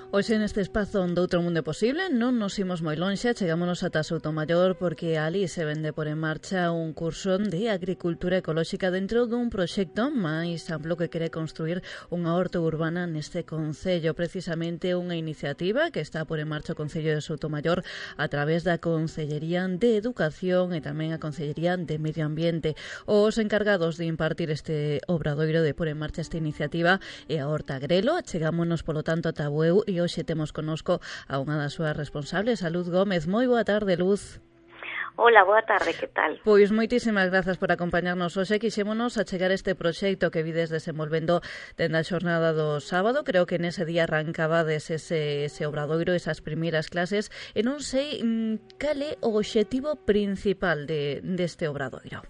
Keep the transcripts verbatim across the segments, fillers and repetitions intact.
Hoxe neste espazo onde outro mundo é posible non nos imos moi lonxe, chegámonos ata Soutomaior porque ali se vende por en marcha un curso de agricultura ecolóxica dentro dun proxecto máis amplo que quere construir unha horta urbana neste concello, precisamente unha iniciativa que está por en marcha o Concello de Soutomaior a través da Concellería de Educación e tamén a Concellería de Medio Ambiente. Os encargados de impartir este obradoiro de por en marcha esta iniciativa é a Horta Grelo. Chegámonos polo tanto ata Bueu e hoxe temos connosco a unha das súas responsables, a Luz Gómez. Moi boa tarde, Luz. Hola, boa tarde, que tal? Pois moitísimas grazas por acompañarnos hoxe. Quixémonos a chegar este proxecto que vides desenvolvendo dende a xornada do sábado. Creo que nese día arrancabades ese, ese obradoiro, esas primeiras clases, e non sei cal é o obxectivo principal de, deste obradoiro.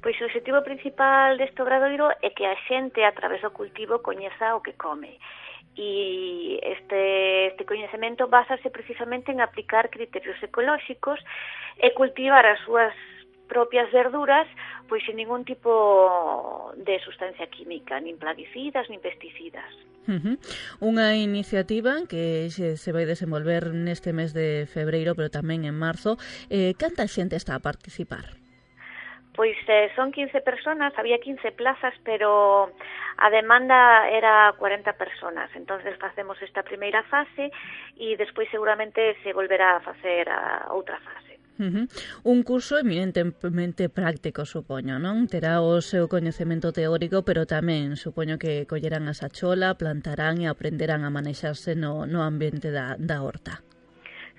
Pois o obxectivo principal deste obradoiro é que a xente, a través do cultivo, coñeza o que come. E este, este coñecemento básase precisamente en aplicar criterios ecolóxicos e cultivar as súas propias verduras pois sin ningún tipo de sustancia química, nin plaguicidas, nin pesticidas. Uh-huh. Unha iniciativa que se, se vai desenvolver neste mes de febreiro, pero tamén en marzo. Eh, canta xente está a participar? Pois eh, son quince personas, había quince plazas, pero a demanda era cuarenta personas. Entonces facemos esta primeira fase e despois seguramente se volverá a facer a outra fase. Uh-huh. Un curso eminentemente práctico, supoño, non? Terá o seu coñecemento teórico, pero tamén supoño que collerán a sachola, plantarán e aprenderán a manexarse no, no ambiente da, da horta.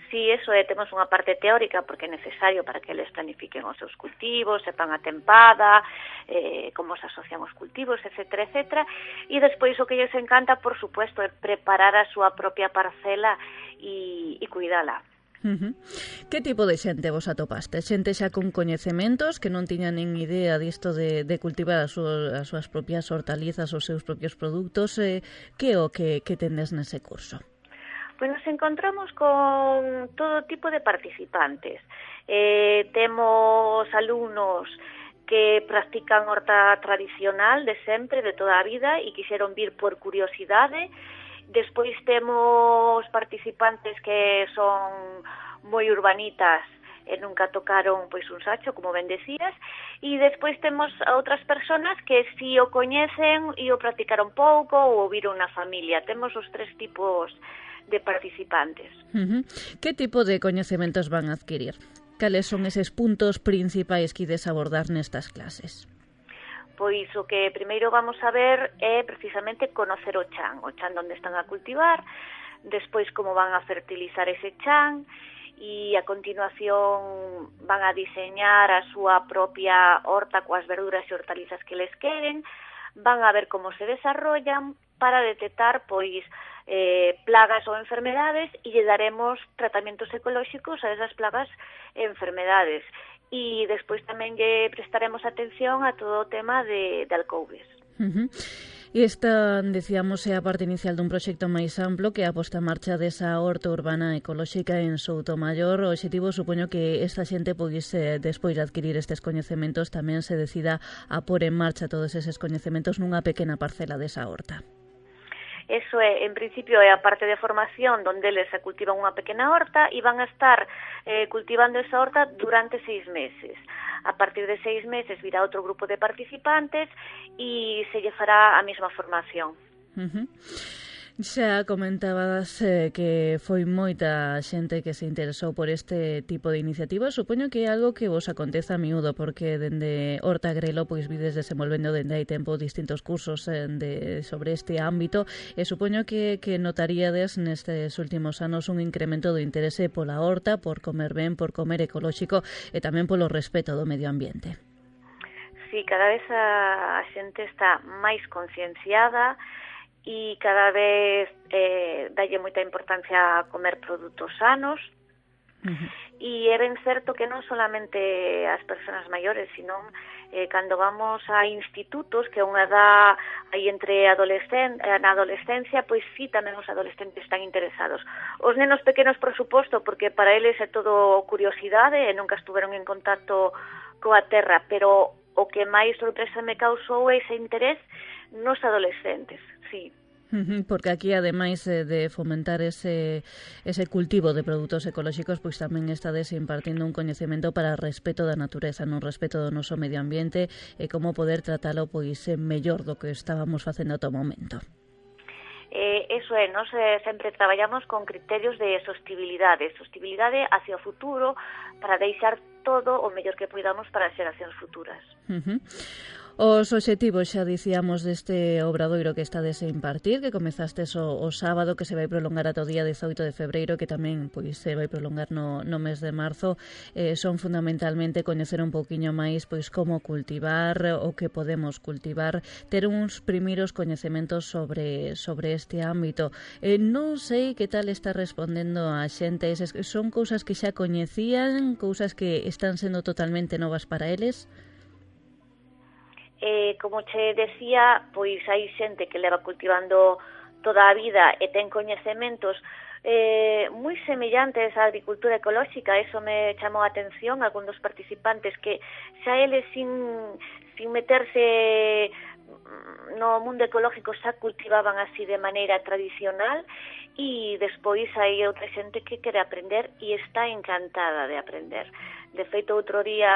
Sí, eso é, temos unha parte teórica porque é necesario para que eles planifiquen os seus cultivos, sepan a tempada, eh, como se asocian os cultivos, etcétera, etcétera. E despois o que lles encanta, por supuesto, é preparar a súa propia parcela e, e cuidala. Uh-huh. Que tipo de xente vos atopaste? Xente xa con coñecementos que non tiñan nin idea disto de, de cultivar as súas, as súas propias hortalizas, os seus propios produtos. Eh, que o que, que tendes nese curso? Pois nos encontramos con todo tipo de participantes. Eh, temos alumnos que practican horta tradicional de sempre, de toda a vida, e quixeron vir por curiosidade. Despois temos participantes que son moi urbanitas e nunca tocaron pois un sacho, como ben decías, e despois temos a outras personas que si o coñecen e o practicaron pouco ou o viron na familia. Temos os tres tipos de participantes. Uh-huh. Que tipo de coñecementos van a adquirir? Cales son eses puntos principais que ides abordar nestas clases? Pois o que primeiro vamos a ver é precisamente conocer o chan, o chan onde están a cultivar, despois como van a fertilizar ese chan e a continuación van a diseñar a súa propia horta coas verduras e hortalizas que les queren, van a ver como se desarrollan para detectar pois eh, plagas ou enfermedades e lle daremos tratamentos ecolóxicos a esas plagas e enfermedades. E despois tamén lle prestaremos atención a todo o tema de, de alcoubes. Uh-huh. E esta, decíamos, é a parte inicial dun proxecto máis amplo que é a posta en marcha desa horta urbana ecolóxica en Soutomaior. O obxectivo, supoño que esta xente pois, eh, despois de adquirir estes coñecementos, tamén se decida a pôr en marcha todos eses coñecementos nunha pequena parcela desa horta. Eso é, en principio, é a parte de formación onde eles se cultivan unha pequena horta e van a estar eh, cultivando esa horta durante seis meses. A partir de seis meses virá outro grupo de participantes e se lle fará a mesma formación. Uh-huh. Xa comentabas eh, que foi moita xente que se interesou por este tipo de iniciativa. Supoño que é algo que vos acontece a miúdo, porque dende Horta Grelo pois vides desenvolvendo dende hai tempo distintos cursos eh, de, sobre este ámbito, e supoño que, que notaríades nestes últimos anos un incremento do interese pola horta, por comer ben, por comer ecolóxico e tamén polo respeto do medio ambiente. Sí, cada vez a, a xente está máis concienciada e cada vez eh, dalle moita importancia a comer produtos sanos. Uh-huh. E é ben certo que non solamente as persoas maiores, sino eh, cando vamos a institutos, que é unha edad aí entre adolescen na adolescencia, pois sí, tamén os adolescentes están interesados. Os nenos pequenos, por suposto, porque para eles é todo curiosidade e nunca estuveron en contacto coa terra, pero o que máis sorpresa me causou é ese interés nos adolescentes, sí. Porque aquí, ademais de fomentar ese, ese cultivo de produtos ecolóxicos, pois tamén estades impartindo un coñecemento para o respeto da natureza, non respeto do noso medio ambiente e como poder tratalo pois mellor do que estábamos facendo ata o momento. Eh, eso é, nós eh, sempre traballamos con criterios de sostibilidade, sostibilidade hacia o futuro para deixar todo o mellor que podamos para as xeracións futuras. Uh-huh. Os obxectivos, xa dicíamos, deste obradoiro que estades a impartir, que comezastes o, o sábado, que se vai prolongar ata o día dezoito de febreiro, que tamén pois se vai prolongar no, no mes de marzo, eh, son fundamentalmente coñecer un pouquiño máis pois como cultivar, o que podemos cultivar, ter uns primeiros coñecementos sobre, sobre este ámbito. Eh, non sei que tal está respondendo a xente, eses, son cousas que xa coñecían, cousas que están sendo totalmente novas para eles? Eh, como che decía, pois hai xente que leva cultivando toda a vida e ten coñecementos eh, moi semellantes á agricultura ecolóxica. Eso me chamou a atención, algún dos participantes que xa eles sin, sin meterse no mundo ecológico xa cultivaban así de maneira tradicional, e despois hai outra xente que quere aprender e está encantada de aprender. De feito, outro día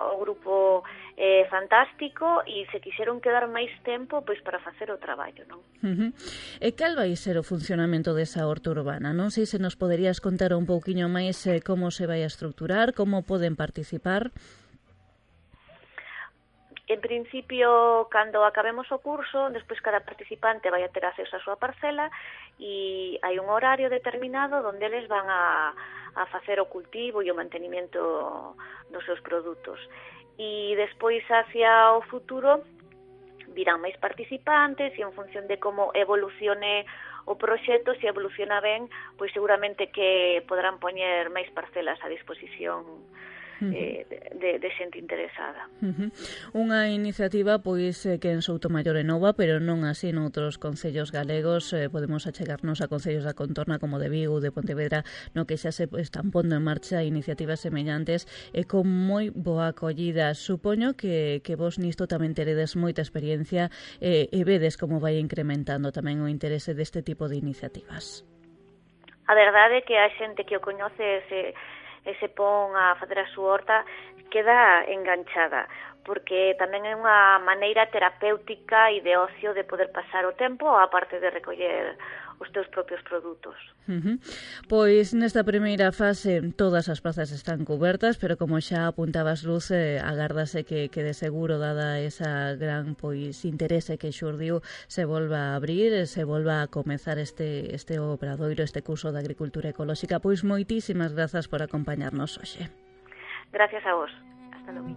o grupo é eh, fantástico e se quixeron quedar máis tempo pois para facer o traballo, non? Uh-huh. E cal vai ser o funcionamento desa horta urbana? Non sei se nos poderías contar un pouquiño máis eh, como se vai a estruturar, como poden participar. En principio, cando acabemos o curso, despois cada participante vai a ter acceso á súa parcela e hai un horario determinado onde eles van a, a facer o cultivo e o mantenimento dos seus produtos. E despois, hacia o futuro, virán máis participantes e en función de como evolucione o proxecto, se evoluciona ben, pois seguramente que poderán poñer máis parcelas a disposición Eh, de, de xente interesada. Uh-huh. Unha iniciativa pois eh, que en Soutomaior é nova, pero non así noutros concellos galegos. Eh, podemos achegarnos a concellos da contorna como de Vigo, de Pontevedra, no que xa se están pondo en marcha iniciativas semellantes e con moi boa acollida. Supoño que, que vos nisto tamén teredes moita experiencia eh, e vedes como vai incrementando tamén o interese deste tipo de iniciativas. A verdade é que a xente que o coñece se e se pon a facer a súa horta queda enganchada, porque tamén é unha maneira terapéutica e de ocio de poder pasar o tempo a parte de recoller os teus propios produtos. Uh-huh. Pois nesta primeira fase todas as prazas están cubertas, pero como xa apuntabas, Luz, eh, agárdase que, que de seguro, dada esa gran pois interese que xurdiu, se volva a abrir, se volva a comezar este, este obradoiro, este curso de agricultura ecolóxica. Pois moitísimas grazas por acompañarnos hoxe. Gracias a vos. Hasta logo.